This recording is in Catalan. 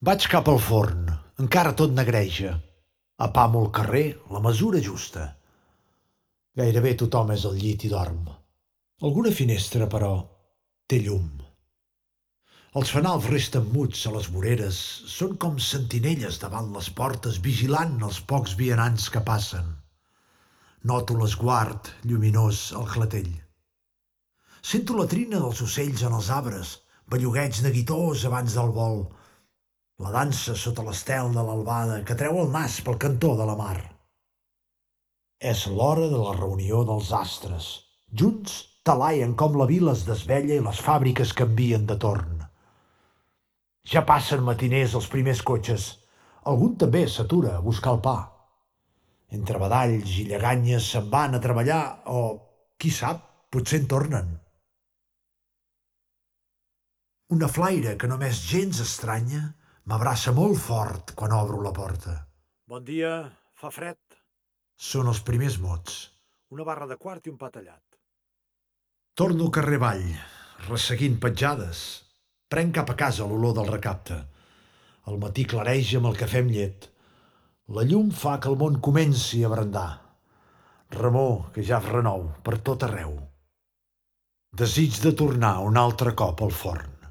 Vaig cap al forn, encara tot negreja. Apamo el carrer, la mesura justa. Gairebé tothom és al llit i dorm. Alguna finestra, però, té llum. Els fanals resten muts a les voreres, són com sentinelles davant les portes vigilant els pocs vianants que passen. Noto l'esguard lluminós al clatell. Sento la trina dels ocells en els arbres, bellugueig neguitós abans del vol. La dansa sota l'estel de l'albada que treu el nas pel cantó de la mar. És l'hora de la reunió dels astres. Junts talaien com la vila es desvella i les fàbriques canvien de torn. Ja passen matiners els primers cotxes. Algun també s'atura a buscar el pa. Entre badalls i lleganyes se'n van a treballar o, qui sap, potser en tornen. Una flaire que només gens estranya m'abraça molt fort quan obro la porta. Bon dia, fa fred. Són els primers mots. Una barra de quart i un pa tallat. Torno al carrer avall, resseguint petjades. Prenc cap a casa l'olor del recapte. El matí clareix amb el cafè amb llet. La llum fa que el món comenci a brandar. Remor que ja es renou per tot arreu. Desig de tornar un altre cop al forn.